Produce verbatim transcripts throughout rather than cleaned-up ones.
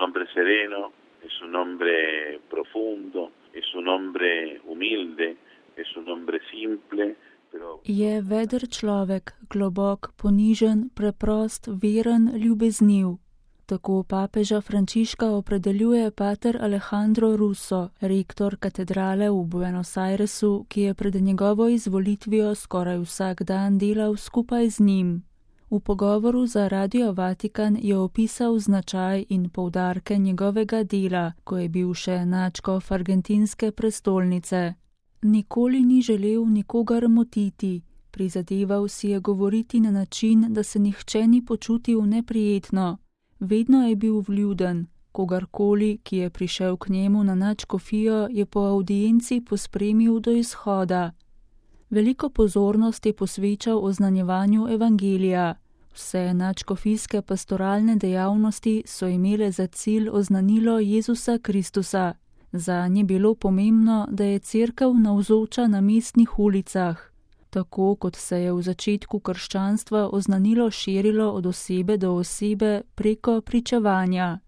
hombre sereno, es un hombre profundo, es un hombre humilde, es un hombre simple. Je veder človek, globok, ponižen, preprost, veren, ljubezniv. Tako papeža Frančiška opredeljuje pater Alejandro Russo, rektor katedrale v Buenos Airesu, ki je pred njegovo izvolitvijo skoraj vsak dan delal skupaj z njim. V pogovoru za Radio Vatikan je opisal značaj in poudarke njegovega dela, ko je bil še nadškof argentinske prestolnice. Nikoli ni želel nikogar motiti, prizadeval si je govoriti na način, da se nihče ni počutil neprijetno. Vedno je bil vljuden, kogarkoli, ki je prišel k njemu na nadškofijo, je po avdienci pospremil do izhoda. Veliko pozornost je posvečal oznanjevanju evangelija. Vse nadškofijske pastoralne dejavnosti so imele za cilj oznanilo Jezusa Kristusa. Zanj je bilo pomembno, da je cerkev navzoča na mestnih ulicah. Tako kot se je v začetku krščanstva oznanilo širilo od osebe do osebe preko pričevanja.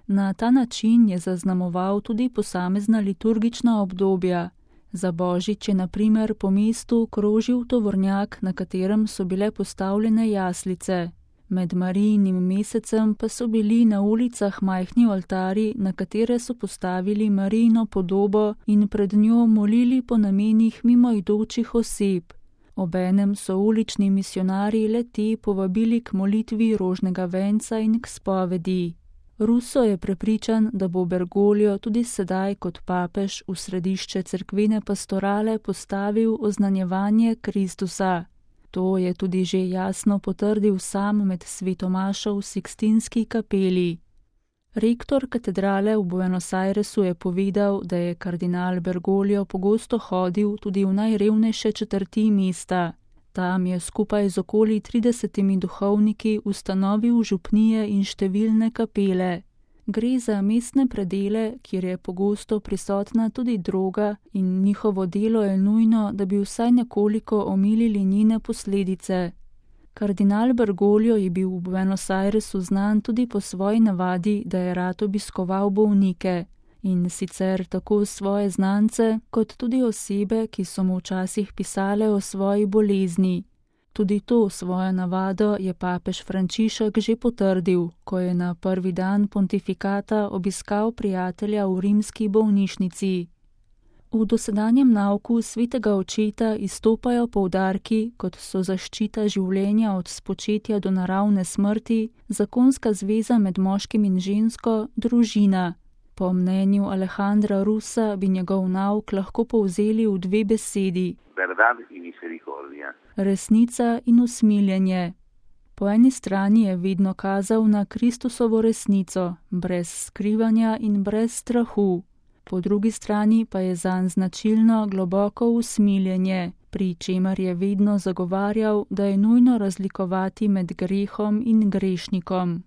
Na ta način je zaznamoval tudi posamezna liturgična obdobja. Za Božič je na primer po mestu krožil tovornjak, na katerem so bile postavljene jaslice. Med Marijinim mesecem pa so bili na ulicah majhni oltari, na katere so postavili Marijino podobo in pred njo molili po namenih mimoidočih oseb. Obenem so ulični misionarji le-te povabili k molitvi rožnega venca in k spovedi. Russo je prepričan, da bo Bergoglio tudi sedaj kot papež v središče cerkvene pastorale postavil oznanjevanje Kristusa. To je tudi že jasno potrdil sam med svetomašo v Sikstinski kapeli. Rektor katedrale v Buenos Airesu je povedal, da je kardinal Bergoglio pogosto hodil tudi v najrevnejše četrti mesta. Tam je skupaj z okoli tridesetimi duhovniki ustanovil župnije in številne kapele. Gre za mestne predele, kjer je pogosto prisotna tudi droga in njihovo delo je nujno, da bi vsaj nekoliko omilili njene posledice. Kardinal Bergoglio je bil v Buenos Airesu znan tudi po svoji navadi, da je rad obiskoval bolnike. In sicer tako svoje znance, kot tudi osebe, ki so mu včasih pisale o svoji bolezni. Tudi to svojo navado je papež Frančišek že potrdil, ko je na prvi dan pontifikata obiskal prijatelja v rimski bolnišnici. V dosedanjem nauku svetega očeta izstopajo poudarki, kot so zaščita življenja od spočetja do naravne smrti, zakonska zveza med moškim in žensko, družina. Po mnenju Alejandra Russa bi njegov nauk lahko povzeli v dve besedi. Resnica in usmiljenje. Po eni strani je vedno kazal na Kristusovo resnico, brez skrivanja in brez strahu. Po drugi strani pa je zanj značilno globoko usmiljenje, pri čemer je vedno zagovarjal, da je nujno razlikovati med grehom in grešnikom.